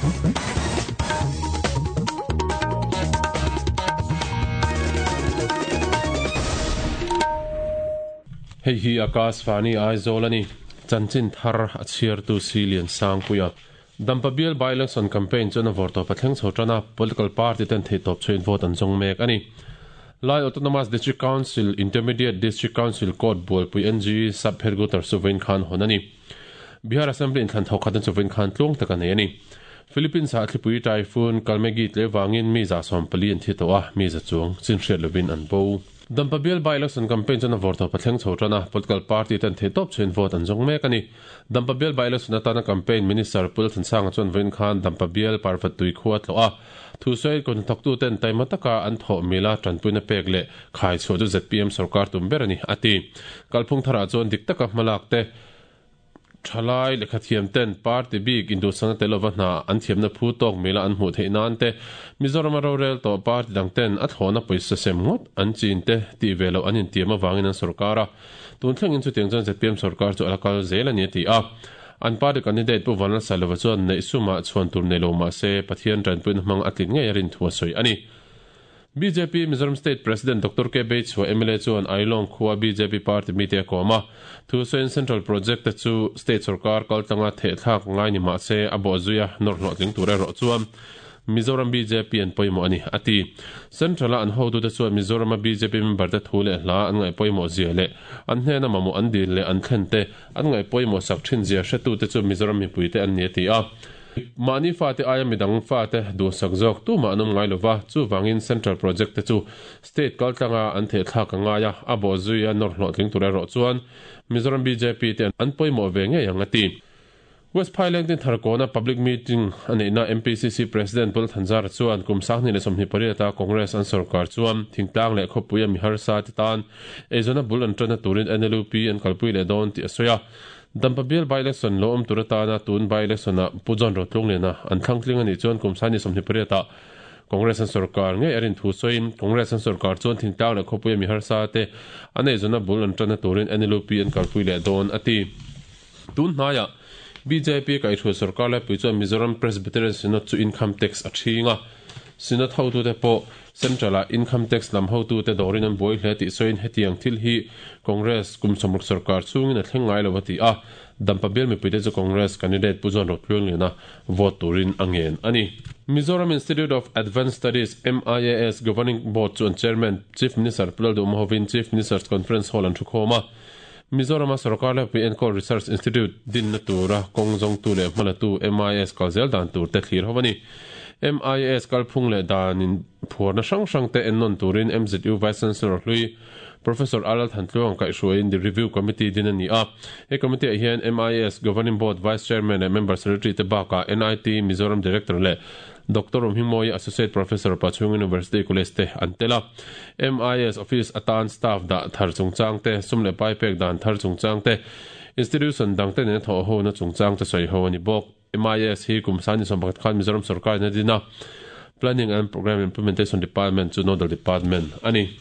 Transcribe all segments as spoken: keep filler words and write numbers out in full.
Hei hi Akashvani Aizawl ani chanchin thar a chhiartu Silian Sangpuia Dampa bial by-election campaign chuan a vawrtawp a thleng chho tan a, political party ten theihtawp chhuin vote an zawng mek ani. Lai Autonomous District Council Intermediate District Council Court Bualpui N G Sub Headquarters chu vawiin khan hawn ani. Bihar Assembly inthlan thawk khat an chu vawiin khan tluang tak a nei ani. Philippines ah thlipui typhoon Kalmegi tle wangin mi za sawm pali an thi tawh a, mi za chuang chin hriat lovin an bo. Dampa bial by-election campaign chuan a vawrtawp a thleng chho tan a, political party ten theihtawp chhuin vote an zawng mek ani. Dampa bial by-election atana campaign minister Pul Thansanga chuan vawiin khan Dampa bial parvat tui khua tlawh a, thu sawi kun thawktu ten taima taka an thawh mila tanpuina pek leh khai chhuah chu Z P M sarkar tum ber ani a ti. Kalphung tharah chuan dik taka hmalak te thalai lekha thiam ten party bik indusana te lova hna an thiamna phu tawk mila an hmuh theih nan te Mizoram rorel to party dang ten a thlawna pawisa sem ngawt an chin te ti velo an intiam awangin an sarkar a, tun thlengin chu tiang chuan Z P M sarkar chu alakal zel ani a ti a. An party candidate pu Vanlal Sailova chuan neih suma chhuan tur nei lo mah se Pathian tanpuina hmang a tlin ngei a rin thu a sawi ani. B J P Mizoram State President Doctor K Beichhua M L A chuan Ailawng khua B J P party mi te a kawm a, thu sawiin Central Project te chu State sarkar kaltlanga thehthlak ngai ni mah se a bawh zui a nawr hlawhtling tur erawh chuan Mizoram B J P an pawimawh ani a ti. Central a an hotu te chuan Mizoram a B J P member te thu leh hla an ngaih pawimawh zia leh an hnena mamawh an dil leh an thlen te an ngaih pawimawh sak thin zia hretu te chu Mizoram mipui te an ni a ti a. Mahni fa te aia midang fa te duhsak zawk tu mah an awm ngai lova, chu wangin Central Project te chu State kaltlanga an thehthlak a ngai a, a bawh zui a nawr hlawhtling tur erawh chuan Mizoram B J P te an pawimawh ve ngei ang a ti. West Phaileng tin Tharkawna public meeting a neihna M P C C President Pul Thanzara chuan kum sanghnih leh sawmhnih pariat a Congress an sarkar chuan thingtlang leh khawpui a mi harsa te tan eizawn a bul an tana turin N L U P an kalpui leh dawn tih a sawi a. Dampa bial by-election lo awm tur atana tun by-election ah Pu John Rotlung lena an thlangtling ani chuan kum sanghnih sawmhnih pariat ah Congress an sarkar ngei a rin thu sawiin Congress an sarkar chuan thingtlang leh khawpui a mi harsa te an eizawn a bul an tana turin N L U P an kalpui leh dawn a ti. Tun hnaiah B J P kaihhruai sarkar laipui chuan Mizoram Presbyterian Synod chu income tax a thinga. Synod hotu te pawh Central ah income tax lam hotu te dawrin an buai hle tih sawiin hetiang thil hi Congress kum sawmruk sarkar chungin a thleng ngai lo a ti a. Dampa bial mipui te chu Congress candidate Pu John Rotluang lena vote turin a ngen ani. Mizoram Institute of Advanced Studies M I A S Governing Board chu an chairman Chief Minister Pu Lalduhoma hovin Chief Minister's Conference Hall an thu khawm a. Mizoram a sarkar laipui Enkawl Research Institute din na tura kawng zawngtu leh hmalatu M I A S kalzel dan tur te thlir ho ani. M I A S kalphung leh danin phuarna hrang hrang te ennawn turin M Z U Vice Chancellor hlui Professor Alal Thantluang kaihhruaiin the Review Committee din ani a. He committee ah hian M I A S Governing Board Vice Chairman leh Member Secretary te bakah N I T Mizoram Director leh Doctor Romhingmawia Associate Professor Pachhung University College te an tel a. M I A S Office atan staff dah thar chungchang te, sum leh pai pek dan thar chungchang te, institution dang te nen thawh ho na chungchang te sawi ho ani bawk. M I A S hi kum sani sawm pakhat khan Mizoram sarkar in a din a. Planning and Program Implementation Department chu nodal department ani.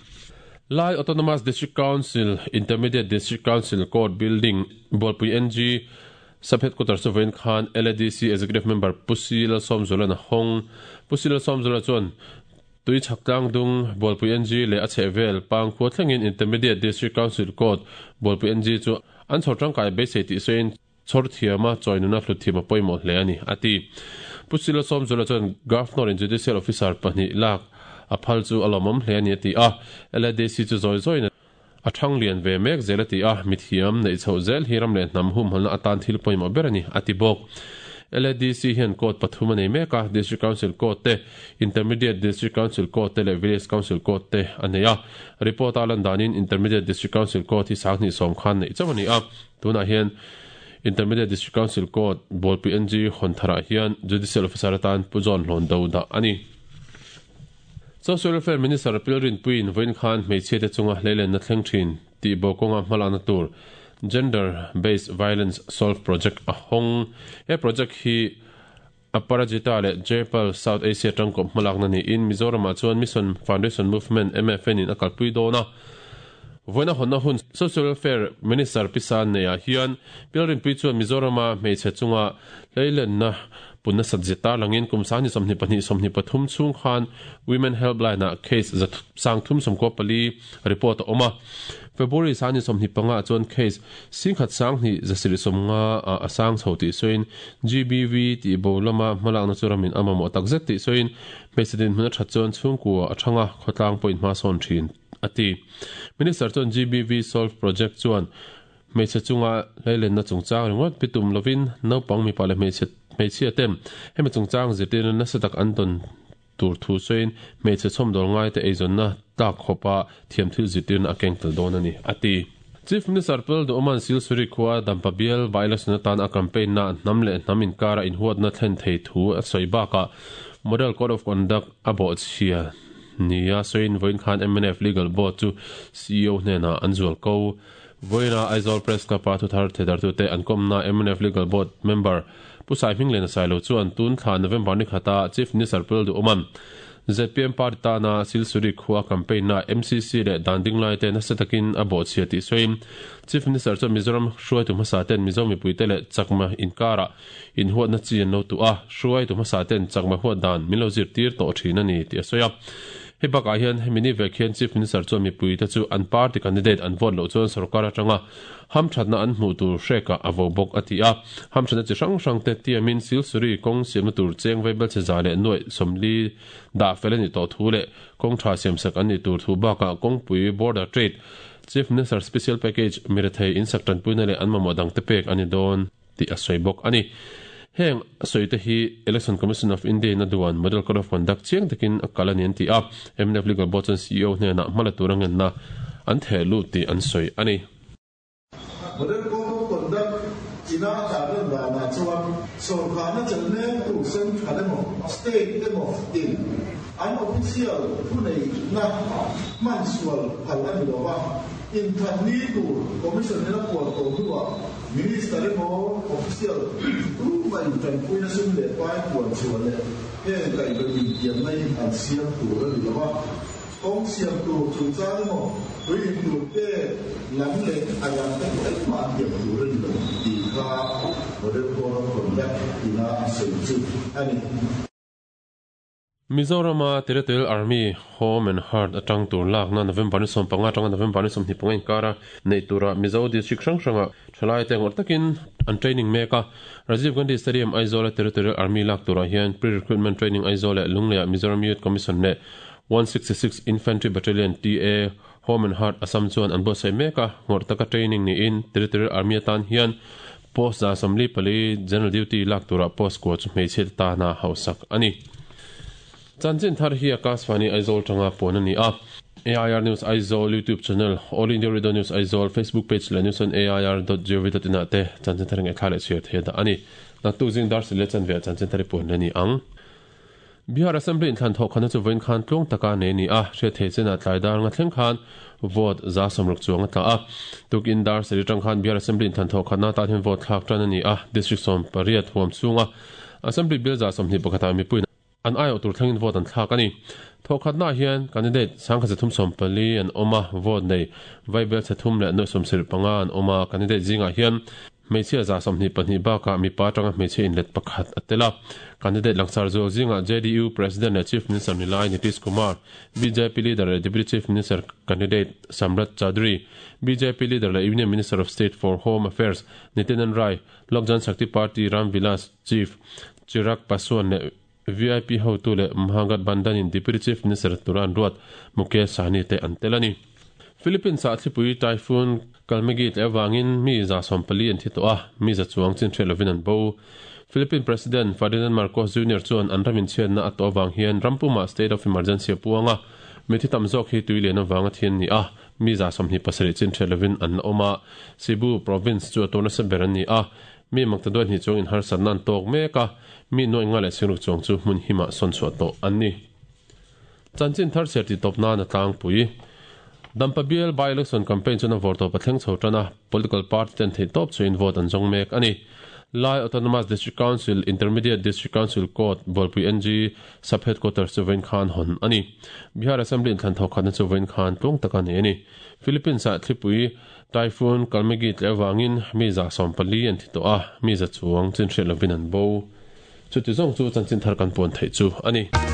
Lai Autonomous District Council Intermediate District Council Court Building Bualpui N G Sub Headquarters chu vawiin khan L A D C Executive Member Pu Sila Sawmzula na hawng. Pu Sila Sawmzula chuan tui chhaktlang dung Bualpui N G leh a chhehvel pang khua thlengin Intermediate District Council Court Bualpui N G chu an chhawr tangkai beisei tih sawiin chhawr thiama chawinuna hlut thiam a pawimawh hle ani a ti. Pu Sila Sawmzula chuan Governor in Judicial Officer pahnih lak a phal chu a lawmawm hle ani a ti a. L A D C chu zawi zawiin a thang lian ve mek zel a ti a, mithiam neih chhoh zel hi ram leh hnam hum halna atan thil pawimawh ber ani a ti bawk. L A D C hian court pathum a nei mek a, District Council Court te, Intermediate District Council Court te leh Village Council Court te a nei a. Report a lan danin Intermediate District Council Court hi sanghnih sawm khan neih chauh ani a. Tunah hian Intermediate District Council Court Bualpui N G hawn tharah hian Judicial Officer atan Pu John Hlawn do dah ani. Social Welfare Minister Pilrin Puin vawiin khan hmeichhia te chunga hleilen na thleng thin tih bawkawnga hmalakna tur Gender Based Violence Solve Project a hawng. He project hi Aparajita leh Jaipal South Asia tangkawp hmalakna niin Mizoramah chuan Mission Foundation Movement M F N in a kalpui dawn a. Vawiina hawnna hun Social Welfare Minister Pisan neihah hian Pilrin Pui chuan Mizorama hmeichhe chunga hleilenna Punna sat langin kum sani somni pahnih somni pathum chung khan Women Helpline a case za sang thum somko pali report oma February sani somni panga chuan case singkhat sang ni zasiri somnga asang chhoti soin G B V ti bolama malak na churamin ama mo takzet ti soin president huna thatchon chungku athanga khotlang point ma son thin ati Minister chuan G B V solve project chuan hmeichhe chunga leilen na chungchang ringawt pitum lovin naupang mipa leh hmeichhe hmeichhia tem hemi chungchang zirtir nasa tak an tawn tur thu sawiin hmeichhe chhawmdawl ngai te eizawnna tlak khawpa thiam thil zirtirna a keng tel dawn ani ati Chief Minister Pel Duoman Silsuri khua Dampa bial by-election atan a campaign na hnam leh hnam inkara inhuatna thlen thei thu a sawi bakah Model Code of Conduct a bawhchhia nia sawiin vawiin khan M N F Legal Board chu C E O hnenah an zual ko Voina Aizawl Press Club a thuthar thedar tu te an komna M N F Legal Board member Pusai Hminglen Sailo chuan tun thla November ni khata Chief Minister Pel Duoman Z P M Party tana Silsuri khua campaign na M C C leh danding lai te nasa takin a bawhchhia tih sawiin Chief Minister chuan Mizoram hruai tu hmasa ten Mizo mipui te leh chakma inkara inhuatna chi an lo tu a hruai tu hmasa ten chakma huat dan min lo zir tir tawh thin ani tih a sawi a hei bakah hian hemi ni vek hian Chief Minister chuan mipui te chu an party candidate an vote loh chuan sarkar atanga hamthatna an hmuh tur hreka a vo bawk a ti a hamthatna chi hrang hrang te tiamin Silsuri kawng siamna tur cheng veibel che za leh nuai sawmli dah fel ani tawh thu leh kawng tha siamsak an ni tur thu bakah kawngpui border trade Chief Minister special package mirethei in sak tanpuina leh an mamawh dang te pek ani dawn tih a sawi bawk ani heng sawi te hi Election Commission of India na duan Model Code of Conduct chiang takin a kal ani an ti a M N F Legal Board chuan C E O hnenah hmala tur angen na an theh lut tih an sawi ani Model Code of Conduct ina taran dana chuan sarkarna chalne tu central emaw state emaw in an official thunei na mansual phal ani lova in thatni tur commission na puan to huwa minister emaw official tu mai tan puina sum le pai puan chuan le he kai ba in tiam nai an siam tur ani lova kong siam tur chungchang emaw tui tur te lam le alam te ai ma tiam tur ani lo ti kha Model Code of Conduct ina a sawi chu ani Mizorama Territorial Army Home and Heart atang tur lak na November ni som panga tanga November ni som ni panga inkara nei tura Mizo district hrang hranga thalai te ngor takin an training meka Rajiv Gandhi Stadium Aizawl Territorial Army lak tura hian pre-recruitment training Aizawl leh Lungleia Mizoram Youth Commission ne one sixty-six Infantry Battalion T A Home and Heart Assam chuan an buatsaih meka ngor taka training ni in Territorial Army atan hian post za assembly pali general duty lak tura post ko chu hmeichhe ta na hausak ani Chanchin thar hi Akashvani Aizawl tanga pon ani a A I R News Aizawl YouTube channel All India Radio News Aizawl Facebook page la news on A I R dot gov dot in te chanchin thar ngai thlale chher the da ani naktuk jing dar sile chan ve chanchin thar pon ani ang Bihar Assembly in thlan thok khana chu voin khan tlung taka ne ni a hre the chena tlai dar nga thleng khan vote za somruk chuang ta a tuk in dar seri tang khan Bihar Assembly in thlan thok khana ta hen vote thlak tan ani a district som pariat huam chunga Assembly bill za som ni pakhata mi pui an ayo tur thlengin vote an thlak ani thokhatna hian candidate sangkha chathum som pali an oma vote nei vaibel chathum leh noi som sir panga an oma candidate zinga hian hmeichhia za sawmhnih pahnih bakah mipa atanga hmeichhe inlet pakhat a tel a candidate langsar zual zinga J D U President leh Chief Minister Nilai Nitish Kumar B J P leader leh Deputy Chief Minister candidate Samrat Chaudhary B J P leader leh Union Minister of State for Home Affairs Nityanand Rai Lok Jan Shakti Party Ram Vilas Chief Chirag Paswan leh V I P hotu leh Mahagathbandhan in Deputy Chief Minister Turan Ruat Mukesh Sahni te an tel ani Philippines a thlipui typhoon Kalmegi tle awangin mi za sawmpali an thi tawh a mi za chuang chin hre lovin an bo Philippine President Ferdinand Marcos Junior chuan an ramin chhiatna a tawh awang hian rampuma state of emergency a puanga mi thi tam zawk hi tui lian awanga thian ni a mi za sawmhnih pasarih chin hre lovin an la awm a Cebu province chu a tawna sa ber an ni a mi makta duan hi chuang in harsatna an tawk mek a mi nuai nga leh singruk chuang chu hmun hima sawn chhuah tawh an ni chanchin thar ser ti tawp nan a tlangpui Dampa bial by-election campaign chu na vawrtawp a thleng chho tan a political party ten thei tawp chu in vote an zawng mek ani Lai Autonomous District Council Intermediate District Council Court Bolpui N G sub headquarters chu vawiin khan hawn ani Bihar Assembly in thlan thawk khatna chu vawiin khan tlung tak ani ani Philippines a thlipui typhoon Kalmegi tle awangin mi za sawmpali an thi tawh a mi za chuang chin hre lovin an bo Chuti zawng chu chanchin thar kan puan theih chu a ni.